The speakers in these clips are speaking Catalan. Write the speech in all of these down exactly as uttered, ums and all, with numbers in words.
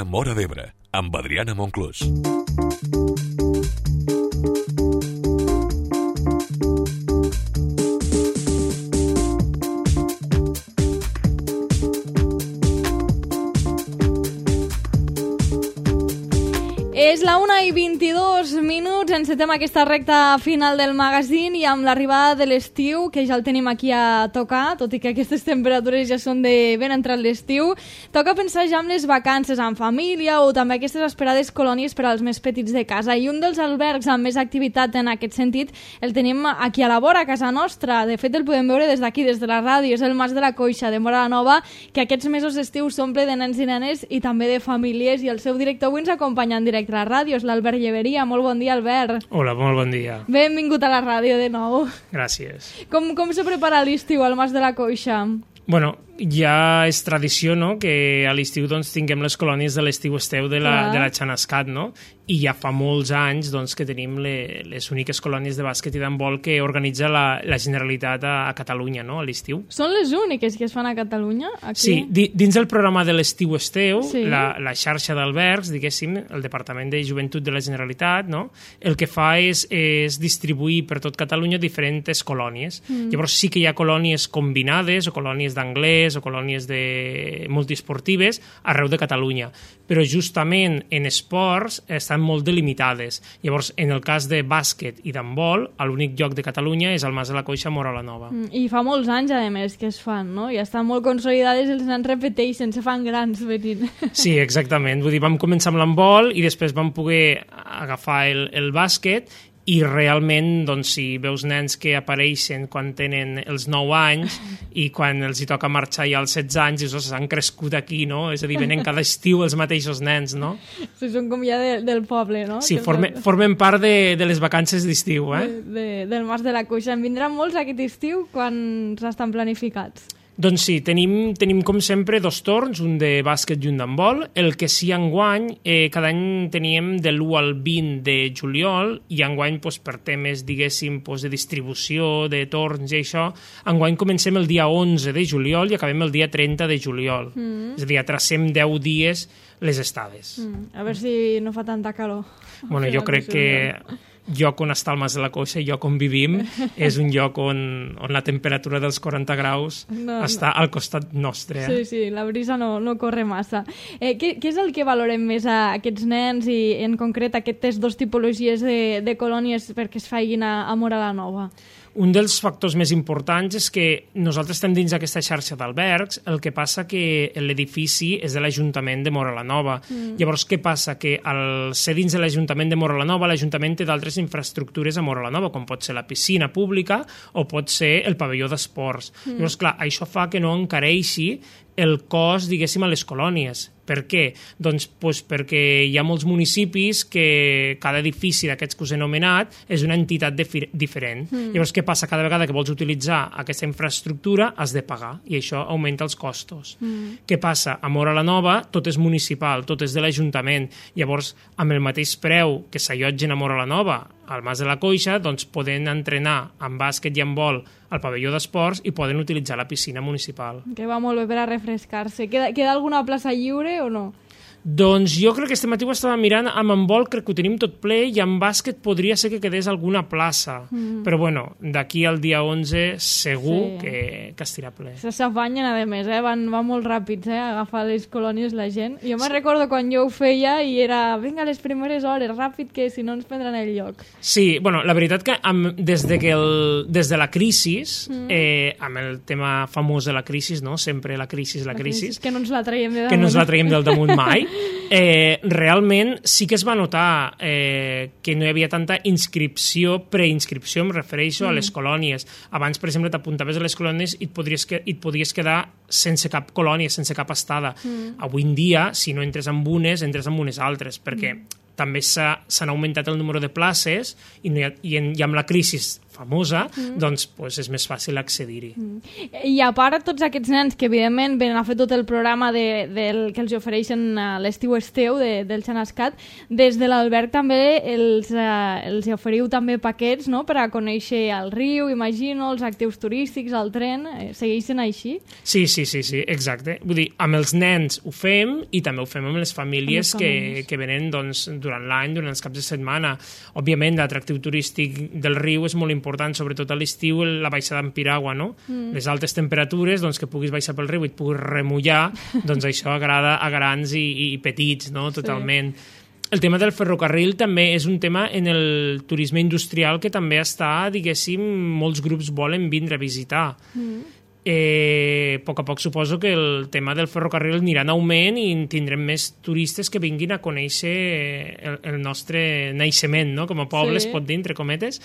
Móra d'Ebre, amb Adriana Monclús. És la una i vint-i-dos minuts, encetem aquesta recta final del magazín i amb l'arribada de l'estiu, que ja el tenim aquí a tocar, tot i que aquestes temperatures ja són de ben entrat l'estiu, toca pensar ja en les vacances en família o també aquestes esperades colònies per als més petits de casa. I un dels albergs amb més activitat en aquest sentit el tenim aquí a la vora, a casa nostra. De fet, el podem veure des d'aquí, des de la ràdio. És el Mas de la Coixa, de Móra la Nova, que aquests mesos d'estiu s'omple de nens i nenes i també de famílies, i el seu director avui ens acompanya en directe a la ràdio, és l'Albert Lleveria. Molt bon dia, Albert. Hola, molt bon dia. Benvingut a la ràdio de nou. Gràcies. Com, com se prepara l'estiu al Mas de la Coixa? Bueno, ja és tradició, no?, que a l'estiu doncs, tinguem les colònies de l'estiu esteu de la, de la Xanascat, no? I ja fa molts anys doncs, que tenim le, les úniques colònies de bàsquet i d'handbol que organitza la, la Generalitat a, a Catalunya, no?, a l'estiu. Són les úniques que es fan a Catalunya? Aquí? Sí, di, dins del programa de l'estiu esteu, sí. la, la xarxa d'albergs, diguéssim, el Departament de Joventut de la Generalitat, no?, el que fa és, és distribuir per tot Catalunya diferents colònies. Mm. Llavors sí que hi ha colònies combinades o colònies d'anglès o colònies de multiesportives arreu de Catalunya, però justament en esports estan molt delimitades. Llavors, en el cas de bàsquet i d'handbol, l'únic lloc de Catalunya és el Mas de la Coixa, Móra la Nova. Mm, I fa molts anys, a més, que es fan, no? Ja estan molt consolidades, els nens repeteixen, se fan grans venint. Sí, exactament. Vull dir, vam començar amb l'handbol i després vam poder agafar el, el bàsquet, i realment, doncs, si veus nens que apareixen quan tenen els nou anys i quan els hi toca marxar ja als setze anys, dius, s'han crescut aquí, no? És a dir, venen cada estiu els mateixos nens, no? Sí, són com ja de, del poble, no? Sí, formen, formen part de, de les vacances d'estiu, eh? De, de, del Mas de la Coixa. En vindran molts aquest estiu quan estan planificats? Doncs sí, tenim, tenim com sempre dos torns, un de bàsquet i un d'handbol. El que sí enguany, eh, cada any teníem de l'u al vint de juliol, i enguany doncs, per temes, diguéssim, doncs, de distribució, de torns i això, enguany comencem el dia onze de juliol i acabem el dia trenta de juliol. Mm. És a dir, atracem deu dies les estades. Mm. A veure si no fa tanta calor. Bueno, jo crec que lloc on està el Mas de la Coixa i lloc on vivim és un lloc on, on la temperatura dels quaranta graus no, està no. al costat nostre. Eh? Sí, sí, la brisa no, no corre massa. Eh, què, què és el que valorem més a aquests nens i en concret aquestes dues tipologies de, de colònies perquè es facin a, a Móra la Nova? Un dels factors més importants és que nosaltres estem dins d'aquesta xarxa d'albergs, el que passa que l'edifici és de l'Ajuntament de Móra la Nova. Mm. Llavors, què passa? Que al ser dins de l'Ajuntament de Móra la Nova, l'Ajuntament té d'altres infraestructures a Móra la Nova, com pot ser la piscina pública o pot ser el pavelló d'esports. Mm. Llavors, clar, això fa que no encareixi el cost, diguéssim, a les colònies. Per què? Doncs, doncs perquè hi ha molts municipis que cada edifici d'aquests que us he anomenat és una entitat diferent. Mm. Llavors, què passa? Cada vegada que vols utilitzar aquesta infraestructura has de pagar i això augmenta els costos. Mm. Què passa? A Móra la Nova tot és municipal, tot és de l'Ajuntament. Llavors, amb el mateix preu que s'allotgen a Móra la Nova, al Mas de la Coixa, doncs poden entrenar en bàsquet i handbol al pavelló d'esports i poden utilitzar la piscina municipal. Que va molt bé per a refrescar-se. Queda, queda alguna plaça lliure o no? Doncs jo crec que este matí ho estava mirant, amb handbol crec que ho tenim tot ple i amb bàsquet podria ser que quedés alguna plaça. Mm. Però bueno, d'aquí al dia onze segur sí. que, que estirà ple. Se s'afanyen, a més, eh? van, van molt ràpids eh? a agafar les colònies la gent. Jo me'n sí. recordo quan jo ho feia i era, vinga, les primeres hores, ràpid, que si no ens prendran el lloc. Sí, bueno, la veritat que amb, des, de que el, des de la crisi, mm. eh, amb el tema famós de la crisi, no? Sempre la crisi, la, la crisi. Que no ens la traiem de damunt. Que no ens la traiem del damunt mai. Eh, realment sí que es va notar eh, que no hi havia tanta inscripció, preinscripció, em refereixo mm. a les colònies. Abans, per exemple, t'apuntaves a les colònies i et podries, que, i et podies quedar sense cap colònia, sense cap estada. Mm. Avui en dia, si no entres en unes, entres en unes altres, perquè mm. també s'han augmentat el número de places i, no hi ha, i, en, i amb la crisi famosa, mm. doncs pues, és més fàcil accedir-hi. Mm. I a part, tots aquests nens que evidentment venen a fer tot el programa de, del, que els ofereixen a l'estiu esteu de, del Xanascat, des de l'alberg també els, eh, els oferiu també paquets, no?, per a conèixer el riu, imagino, els actius turístics, el tren, eh, segueixen així? Sí, sí, sí, sí, exacte. Vull dir, amb els nens ho fem i també ho fem amb les famílies, amb les famílies. que, que venen doncs, durant l'any, durant els caps de setmana. Òbviament, l'atractiu turístic del riu és molt important, sobretot a l'estiu, la baixada en piragua, no? Mm. Les altes temperatures, doncs, que puguis baixar pel riu i et puguis remullar, doncs això agrada a grans i, i petits, no?, totalment. Sí. El tema del ferrocarril també és un tema en el turisme industrial que també està, diguéssim, molts grups volen vindre a visitar. Mm. Eh, a poc a poc suposo que el tema del ferrocarril anirà en augment i tindrem més turistes que vinguin a conèixer el, el nostre naixement, no?, com a poble, sí. es pot dir, entre cometes.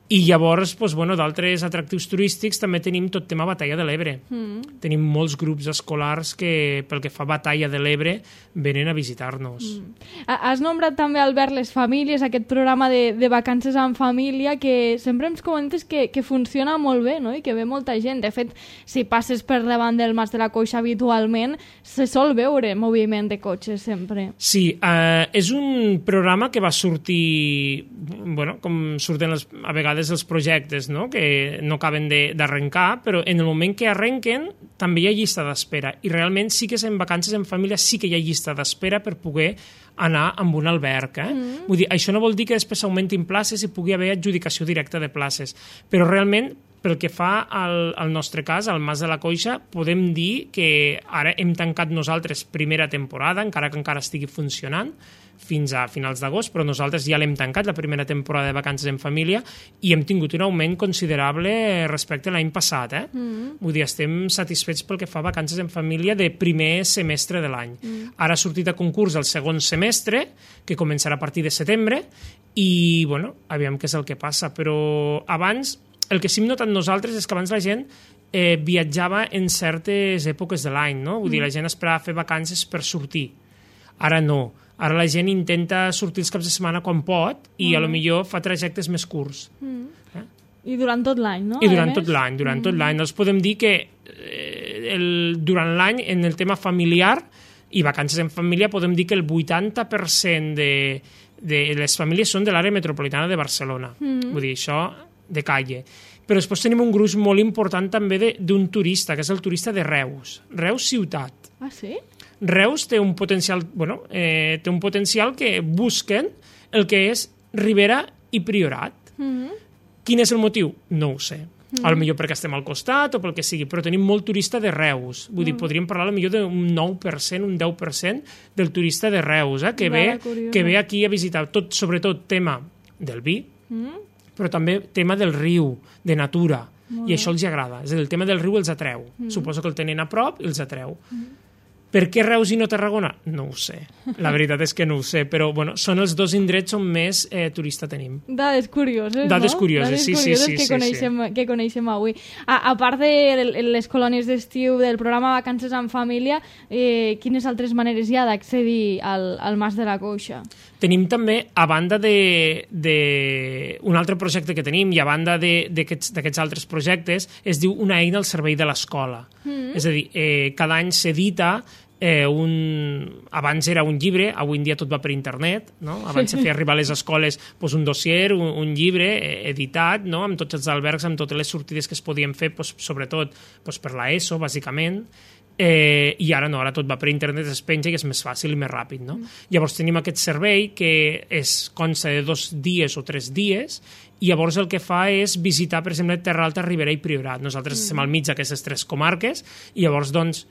I llavors, doncs, bueno, d'altres atractius turístics també tenim tot tema Batalla de l'Ebre. Mm. Tenim molts grups escolars que, pel que fa a Batalla de l'Ebre, venen a visitar-nos. Mm. Has nombrat també, Albert, les famílies, aquest programa de, de vacances en família, que sempre ens comentes que, que funciona molt bé, no?, i que ve molta gent. De fet, si passes per davant del Mas de la Coixa habitualment, se sol veure moviment de cotxes sempre. Sí, eh, és un programa que va sortir, bueno, com surten les, a vegades els projectes, no?, que no acaben d'arrencar, però en el moment que arrenquen també hi ha llista d'espera, i realment sí que en vacances en família sí que hi ha llista d'espera per poder anar amb un alberg. Eh? Mm. Vull dir, això no vol dir que després augmentin places i pugui haver adjudicació directa de places, però realment pel que fa al, al nostre cas, al Mas de la Coixa, podem dir que ara hem tancat nosaltres primera temporada, encara que encara estigui funcionant, fins a finals d'agost, però nosaltres ja l'hem tancat, la primera temporada de vacances en família, i hem tingut un augment considerable respecte a l'any passat. Eh? Mm. Vull dir, estem satisfets pel que fa a vacances en família de primer semestre de l'any. Mm. Ara ha sortit a concurs el segon semestre, que començarà a partir de setembre, i, bueno, aviam què és el que passa. Però abans, el que sí hem notat nosaltres és que abans la gent eh, viatjava en certes èpoques de l'any, no? Vull mm. dir, la gent esperava fer vacances per sortir. Ara no. Ara la gent intenta sortir els caps de setmana quan pot i mm. a lo millor fa trajectes més curts. Mm. Eh? I durant tot l'any, no? I durant tot l'any, durant mm. tot l'any. Doncs podem dir que eh, el, durant l'any, en el tema familiar i vacances en família, podem dir que el vuitanta per cent de, de les famílies són de l'àrea metropolitana de Barcelona. Mm. Vull dir, això de calle. Però després tenim un gruix molt important també d'un turista, que és el turista de Reus. Reus ciutat. Ah, sí? Reus té un potencial, bueno, eh, té un potencial que busquen el que és Ribera i Priorat. Mm-hmm. Quin és el motiu? No ho sé. Mm-hmm. A lo millor perquè estem al costat o pel que sigui, però tenim molt turista de Reus. Vull mm. dir, podríem parlar a lo millor d'un nou per cent, un deu per cent del turista de Reus, eh, que, ve, que ve aquí a visitar, tot, sobretot tema del vi, mm. però també tema del riu, de natura, molt i això els agrada. És a dir, el tema del riu els atreu. Mm. Suposo que el tenen a prop i els atreu. Mm. Per què Reus i no Tarragona? No ho sé. La veritat és que no ho sé, però bueno, són els dos indrets on més eh, turista tenim. Dades curioses, Dades no? curioses, Dades sí, curioses sí, sí. que, sí, coneixem, sí. que coneixem avui. A, a part de les colònies d'estiu del programa Vacances en Família, eh, quines altres maneres hi ha d'accedir al, al Mas de la Coixa? Tenim també, a banda de, de un altre projecte que tenim i a banda d'aquests altres projectes, es diu una eina al servei de l'escola. Mm. És a dir, eh, cada any s'edita Eh, un... abans era un llibre, avui en dia tot va per internet, no? Abans se feia arribar a les escoles pues, un dossier, un, un llibre eh, editat, no? Amb tots els albergs, amb totes les sortides que es podien fer, pues, sobretot pues, per la ESO, bàsicament, eh, i ara no, ara tot va per internet, es penja i és més fàcil i més ràpid, no? Mm. Llavors tenim aquest servei que és, consta de dos dies o tres dies, i llavors el que fa és visitar, per exemple, Terra Alta, Ribera i Priorat. Nosaltres mm. estem al mig d'aquestes tres comarques, i llavors, doncs,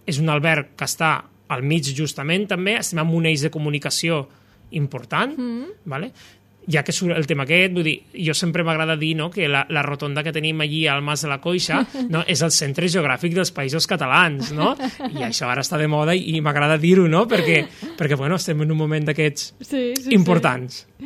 és un alberg que està al mig justament també, estem en un eix de comunicació important, mm. vale? Ja que surt el tema aquest, vull dir, jo sempre m'agrada dir, no?, que la, la rotonda que tenim allí al Mas de la Coixa, no?, és el centre geogràfic dels països catalans, no? I això ara està de moda i, i m'agrada dir-ho, no?, perquè, perquè bueno, estem en un moment d'aquests sí, sí, importants. Sí.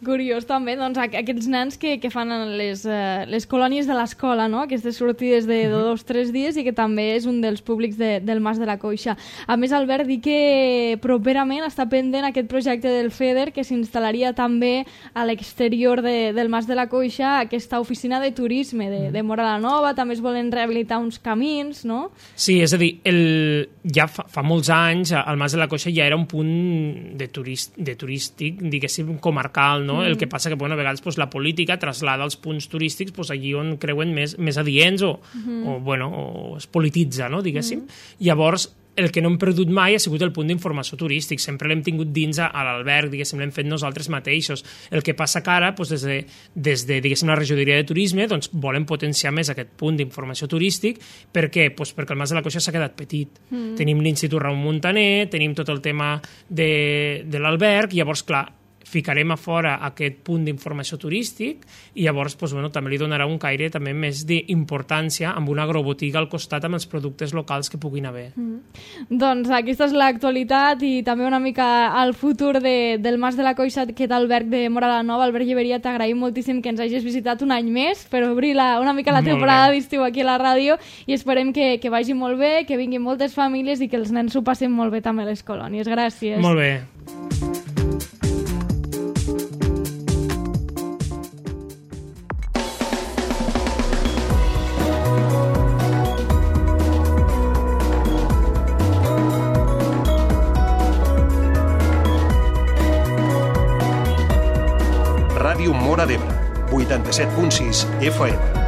Curiós també, doncs, aquests nens que, que fan les, uh, les colònies de l'escola, no? Aquestes sortides de, de dos o tres dies i que també és un dels públics de, del Mas de la Coixa. A més, Albert, dir que properament està pendent aquest projecte del FEDER que s'instal·laria també a l'exterior de, del Mas de la Coixa aquesta oficina de turisme de, de Móra la Nova, també es volen rehabilitar uns camins, no? Sí, és a dir, el, ja fa, fa molts anys el Mas de la Coixa ja era un punt de, turist, de turístic, diguéssim, comarcal, no? Mm. El que passa que, bueno, a vegades pues, la política traslada els punts turístics pues, allí on creuen més, més adients o, mm. o, bueno, o es polititza, no? Diguéssim. Mm. Llavors, el que no hem perdut mai ha sigut el punt d'informació turístic. Sempre l'hem tingut dins a, a l'alberg, diguéssim, l'hem fet nosaltres mateixos. El que passa que ara, doncs, des de, des de diguéssim, la regidoria de turisme, doncs, volen potenciar més aquest punt d'informació turístic. Per què? Doncs perquè el Mas de la Coixa s'ha quedat petit. Mm. Tenim l'Institut Ramon Muntaner, tenim tot el tema de, de l'alberg, i llavors, clar, ficarem a fora aquest punt d'informació turístic i llavors doncs, bueno, també li donarà un caire també més d'importància amb una agrobotiga al costat amb els productes locals que puguin haver. Mm. Doncs aquesta és l'actualitat i també una mica al futur de, del Mas de la Coixa, aquest alberg de Móra la Nova. Albert Lleberia, t'agraïm moltíssim que ens hagis visitat un any més per obrir la, una mica la temporada d'estiu aquí a la ràdio i esperem que, que vagi molt bé, que vinguin moltes famílies i que els nens s'ho passin molt bé també a les colònies. Gràcies. Molt bé. Ràdio Móra d'Ebre, vuitanta-set punt sis F M.